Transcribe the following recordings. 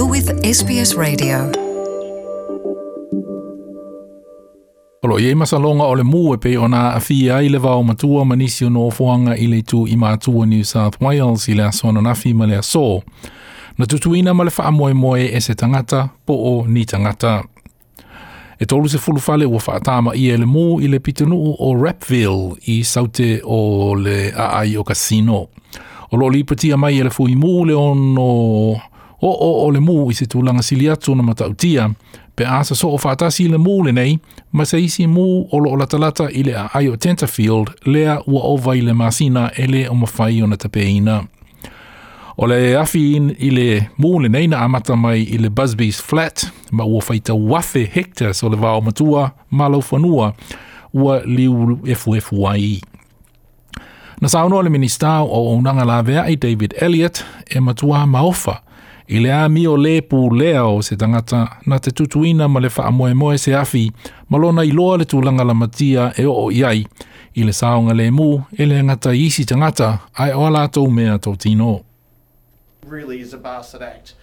You're with SBS Radio. O lo o i ai masaloga o le mu e pei ona aafia ai le vao matua ma nisi o nofoaga i le itu i matua New South Wales i le aso ananafi ma le aso. Na tutuina ma le faamoemoe e se tagata po o ni tagata. E 30 fale ua faatamaia e le mu i le pitonuu o Rappville i saute o le aai o Casino. O lo o lipotia mai e le fui mu le ono oo o le mu i se tulaga sili atu ona matautia pe a sosoo faatasi le mu lenei ma se isi mu o lo o latalata i le aai o Tenterfield lea ua ova i le masina e le o mafai ona tapeina. O le afi i le mu lenei na amata mai i le Busby's Flat ma ua faitau afe hectares o le vao matua ma laufanua ua liu efuefu ai. Na saunoa le Minisita o Auaunaga Laveai David Elliott e matua maofa i le amio lē pulea o se tagata na te tutuina ma le faamoemoe se afi ma lona iloa le tulaga lamatia e oo i ai i le saogalemu e le gata i isi tagata ae o a latou mea totino. Really is a bastard act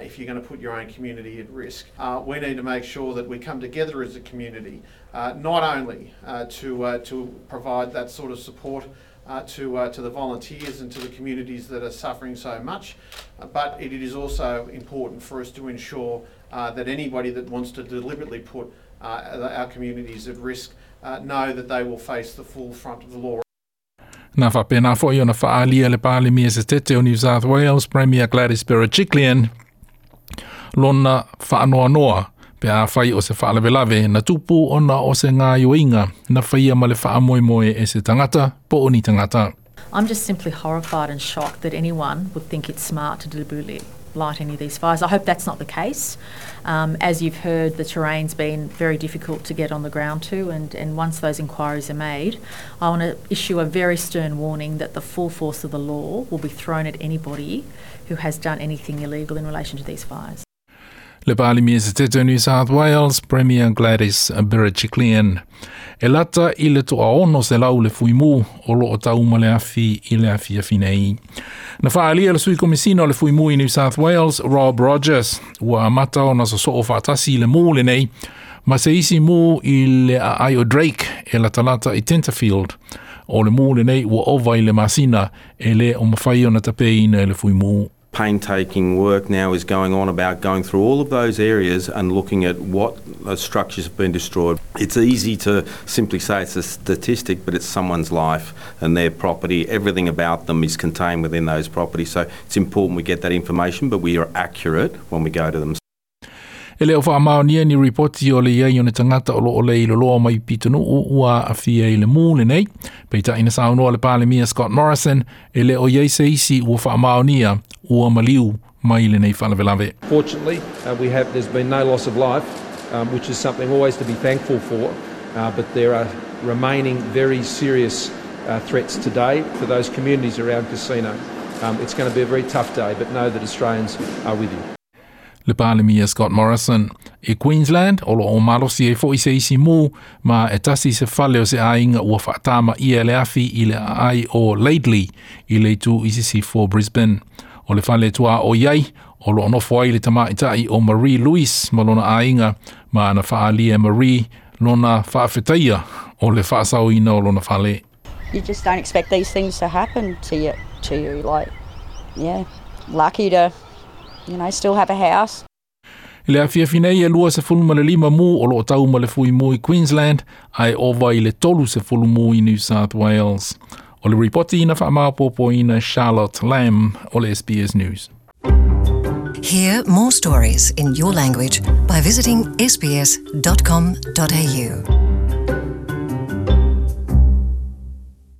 if you're going to put your own community at risk. We need to make sure that we come together as a community, not only to provide that sort of support to the volunteers and to the communities that are suffering so much, but it is also important for us to ensure that anybody that wants to deliberately put our communities at risk know that they will face the full front of the law. Na faapena foi ona faaalia le Palemia Setete o New South Wales, Premier Gladys Berejiklian, lona faanoanoa pe afai o se faalavelave na tupu ona o se gaoioiga na faia ma le faamoemoe e se tagata po o ni tagata. I'm just simply horrified and shocked that anyone would think it's smart to deliberately light any of these fires. I hope that's not the case. As you've heard, the terrain's been very difficult to get on the ground to, and once those inquiries are made, I want to issue a very stern warning that the full force of the law will be thrown at anybody who has done anything illegal in relation to these fires. Le Palemia Setete o New South Wales, Premier Gladys Berejiklian. E lata i le 600 le fuimu o lo o tau ma le afi i le afiafi nei. Na faaalia le sui komisina o le fuimu i New South Wales, Rob Rogers, ua amata ona sosoo faatasi le mu lenei ma se isi mu i le aai o Drake e latalata i Tenterfield. O le mu lenei ua ova i le masina e le o mafai ona tapeina e le fuimu. Painstaking work now is going on about going through all of those areas and looking at what structures have been destroyed. It's easy to simply say it's a statistic, but it's someone's life and their property. Everything about them is contained within those properties. So it's important we get that information, but we are accurate when we go to them. E le o faamaonia ni ripoti o le i ai o ni tagata o lo o leiloloa mai pitonuu ua aafia i le mu lenei. Peitai na saunoa le Palemia Scott Morrison e le o i ai se isi ua faamaonia ua maliu mai lenei faalavelave. Fortunately, we have, there's been no loss of life, which is something always to be thankful for, but there are remaining very serious threats today for those communities around Casino. It's going to be a very tough day, but know that Australians are with you. Le Palemia Scott Morrison. I Queensland, o lo o malosi ai foi se isi mu, ma e tasi se fale o se aiga ua faatamaia e le afi i le aai o Laidley i le itu i sisifo o Brisbane. O le fale tuaoi ai, o lo o nofo ai le tamaitai o Marie Louis ma lona aiga, ma na faaalia e Marie lona faafetaia o le faasaoina o lona fale. You just don't expect these things to happen to you, to you. Like, yeah, lucky to still have a house. I le afiafi nei e 25 mu o lo o tau ma le fui mu i Queensland, ae ova i le 30 mu i New South Wales. O le ripoti na faamaopoopoina Charlotte Lamb o le SBS News. Hear more stories in your language by visiting sbs.com.au.